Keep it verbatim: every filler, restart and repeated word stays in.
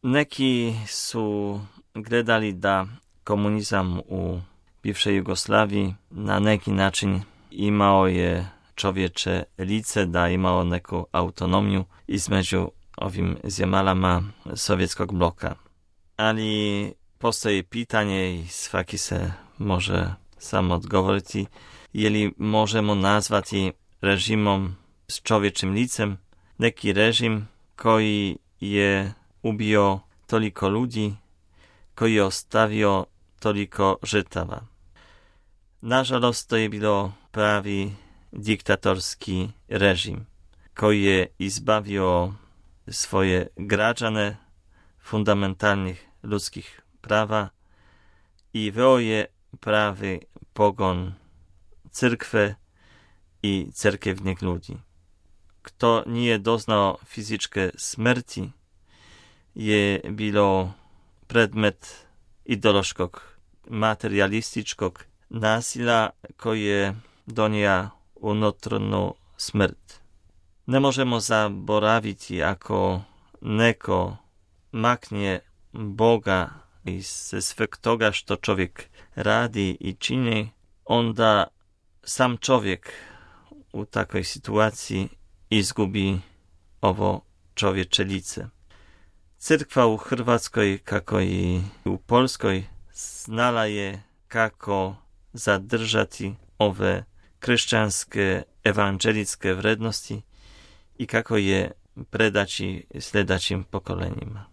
Neki su gledali da komunizam u bivšej Jugoslaviji na neki način imao je čovječe lice, da imao neku autonomiju između ovim zemalama sovjetskog bloka. Ali postoji pitanje i svaki se može samo odgovoriti, je li možemo nazvati režimom s čovječim licem neki režim koji je ubio toliko ljudi, koji je ostavio toliko žrtava. Nažalost, to je bilo pravi diktatorski režim koji je izbavio svoje građane fundamentalnih ljudskih prava i veo je pravi pogon crkve i cerkevnih ljudi. Kto nije doznao fizičke smrti je bilo predmet ideološkog, materialističkog nasilja koji je donija unutarnju smrt. Ne možemo zaboraviti ako neko makne Boga iz sveg toga što čovjek radi i čini, onda sam čovjek u takvoj situaciji izgubi ovo čovječe lice. Crkva u Hrvatskoj, kako i u Polskoj, znala je kako zadržati ove kršćanske evanđeličke vrednosti i kako je predaći sljedećim pokolenjima.